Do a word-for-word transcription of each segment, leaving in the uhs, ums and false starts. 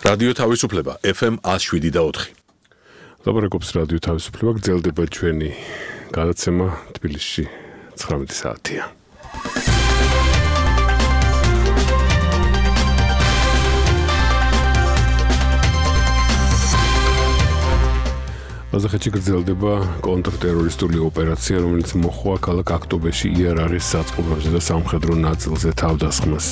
რადიო თავისუფლება ეფ ემ one oh seven და four. ლაპარაკობს რადიო თავისუფლება, გრძელდება ჩვენი გადაცემა თბილისში nine საათია. ყაზახეთში გრძელდება კონტრტერორისტული ოპერაცია, რომელიც მოხდა ქალაქ აქტობეში იარაღის საწყობებზე და სამხედრო ნაწილზე თავდასხმას.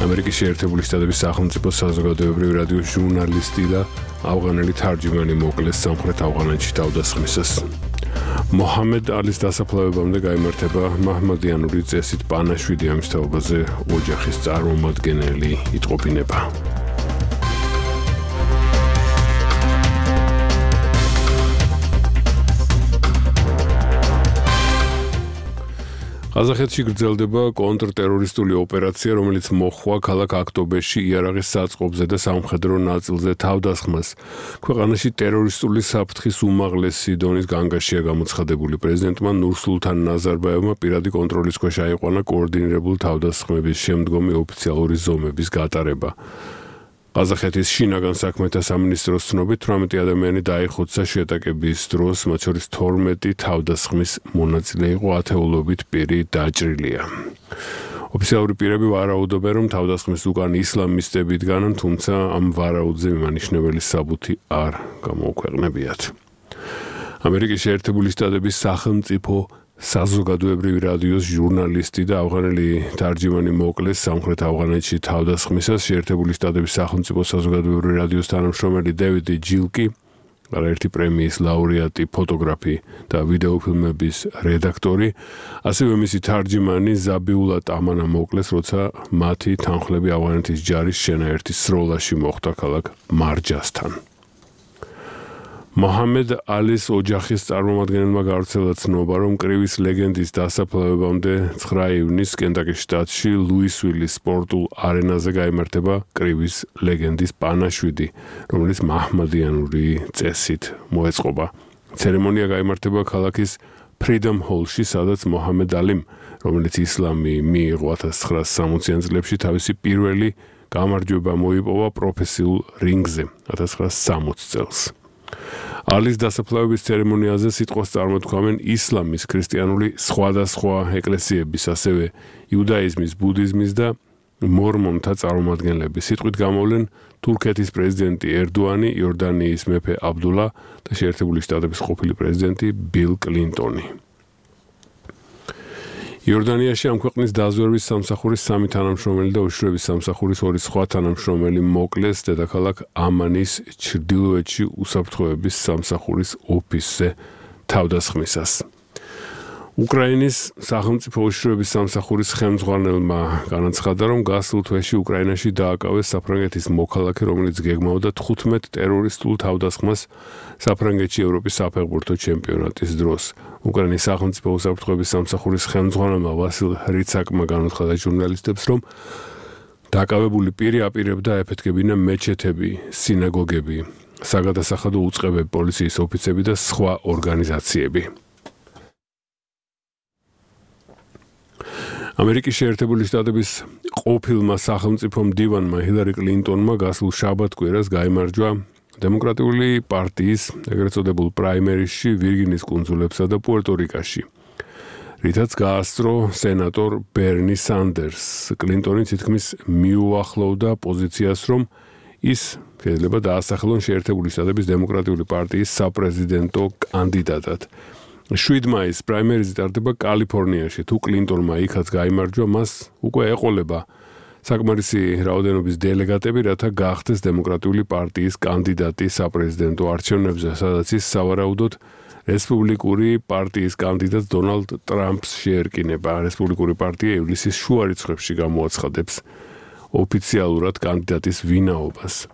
ამერიკის შეერთებული შტატების სახელმწიფო საზოგადოებრივი რადიოს ჟურნალისტი და ავღანელი თარჯიმანი მოკლეს სამხრეთ ავღანეთში თავდასხმისას. მოჰამედ ალის დასაფლავებამდე გაიმართება მაჰმადიანური წესით პანაშვიდი, ამის თაობაზე ოჯახის წარმომადგენელი იტყობინება. ყაზახეთში გრძელდება კონტრტერორისტული ოპერაცია, რომელიც მოხდა ქალაქ აქტობეში იარაღის საწყობზე და სამხედრო ნაწილზე თავდასხმას. ქვეყანაში ტერორისტული საფრთხის უმაღლესი დონის განგაშია გამოცხადებული. პრეზიდენტმა ნურსულთან ნაზარბაევმა პირადი კონტროლის ქვეშ აიყვანა კოორდინირებული თავდასხმების შემდგომი ოფიციალური ზომების გატარება. ყაზახეთის შინაგან საქმეთა სამინისტროს ცნობით eighteen ადამიანი დაიხოცა შეტაკების დროს, მათ შორის twelve თავდასხმის მონაწილე იყო, ათეულობით პირი დაჭრილია. ოფიციალური პირები ვარაუდობენ, რომ თავდასხმის უკან ისლამისტები დგანან, თუმცა ამ ვარაუდზე მიმანიშნებელი საბუთი არ გამოუქვეყნებიათ. ამერიკის შეერთებული შტატების სახელმწიფო საზოგადოებრივი რადიოს ჟურნალისტი და ავღანელი თარჯიმანი მოკლეს სამხრეთ ავღანეთში თავდასხმისას. შეერთებული შტატების სახელმწიფო საზოგადოებრივი რადიოს თანამშრომელი დევიდ ჯილკი, არაერთი პრემიის ლაურეატი, ფოტოგრაფი და ვიდეოფილმების რედაქტორი, ასევე მისი თარჯიმანი ზაბიულა ტამანა მოკლეს, როცა მათი თანხლები ავღანეთის ჯარის შენაერთის სროლაში მოხვდა ქალაქ მარჯასთან. მოჰამედ ალის ოჯახის წარმომადგენელმა გავრცელა ცნობა, რომ კრივის ლეგენდის დასაფლავებამდე nine ივნისს კენტაკის შტატში ლუისვილის სპორტულ არენაზე გაიმართება კრივის ლეგენდის პანაშვიდი, რომელიც მაჰმადიანური წესით მოეწყობა. ცერემონია გაიმართება ქალაქის ფრიდომ ჰოლში, სადაც მოჰამედ ალიმ, რომელიც ისლამი მიიღო nineteen sixty წლებში, თავისი პირველი გამარჯვება მოიპოვა პროფესიულ რინგზე nineteen sixty წელს. ალის დასაფლავების ცერემონიაზე სიტყვას წარმოთქვამენ ისლამის, ქრისტიანული სხვადასხვა ეკლესიების, ასევე იუდაიზმის, ბუდიზმის და მორმონთა წარმომადგენლები. სიტყვით გამოვლენ თურქეთის პრეზიდენტი ერდოანი, იორდანიის მეფე აბდულა და შეერთებული შტატების ყოფილი პრეზიდენტი ბილ კლინტონი. იორდანიაში ამ ქვეყნის დაზვერვის სამსახურის სამი თანამშრომელი და უშიშროების სამსახურის ორი სხვა თანამშრომელი მოკლეს დედაქალაქ ამანის ჩრდილოეთში უსაფრთხოების სამსახურის ოფისზე თავდასხმისას. უკრაინის სახელმწიფო უშიშროების სამსახურის ხელმძღვანელმა განაცხადა, რომ გასულ თვეში უკრაინაში დააკავეს საფრანგეთის მოქალაქე, რომელიც გეგმავდა თხუთმეტ ტერორისტულ თავდასხმას საფრანგეთში ევროპის საფეხბურთო ჩემპიონატის დროს. უკრაინის სახელმწიფო უსაფრთხოების სამსახურის ხელმძღვანელმა ვასილ ხრიცაკმა განაცხადა ჟურნალისტებს, რომ დაკავებული პირი აპირებდა ეფეთქებინა მეჩეთები, სინაგოგები, საგადასახადო უწყებები, პოლიციის ოფიცები და სხვა ორგანიზაციები. ამერიკის შეერთებული შტატების ყოფილმა სახელმწიფო მდივანმა ჰილარი კლინტონმა გასულ შაბათ-კვირას გაიმარჯვა დემოკრატიული პარტიის ეგრეთ წოდებულ პრაიმერისში ვირგინის კუნძულებსა და პუერტო-რიკაში, რითაც გაასწრო სენატორ ბერნი სანდერსს. კლინტონი თითქმის მიუახლოვდა პოზიციას, რომ ის შეიძლება დაასახელონ შეერთებული შტატების დემოკრატიული პარტიის საპრეზიდენტო კანდიდატად. seven მაისს პრაიმერიზე ტარდება კალიფორნიაში. თუ კლინტონმა იქაც გაიმარჯვა, მას უკვე ეყოლება საკმარისი რაოდენობის დელეგატები, რათა გახდეს დემოკრატიული პარტიის კანდიდატი საპრეზიდენტო არჩევნებზე, სადაც ის სავარაუდოდ რესპუბლიკური პარტიის კანდიდატს დონალდ ტრამპს შეერკინება. რესპუბლიკური პარტია ივლისის შუა რიცხვებში გამოაცხადებს ოფიციალურად კანდიდატის ვინაობას.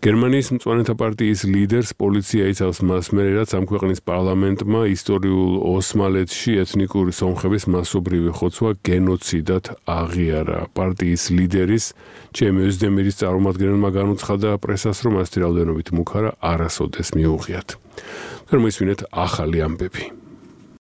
გერმანიის მწვანეთა პარტიის ლიდერს პოლიცია იცავს მას მერე, რაც ამ ქვეყნის პარლამენტმა ისტორიულ ოსმალეთში ეთნიკური სომხების მასობრივი ხოცვა გენოციდად აღიარა. პარტიის ლიდერის ჩემი ოზდემირის წარმომადგენელმა განუცხადა პრესას, რომ ასეთი რაოდენობით მუქარა არასოდეს მიუღიათ. თორემ ისმინეთ ახალი ამბები.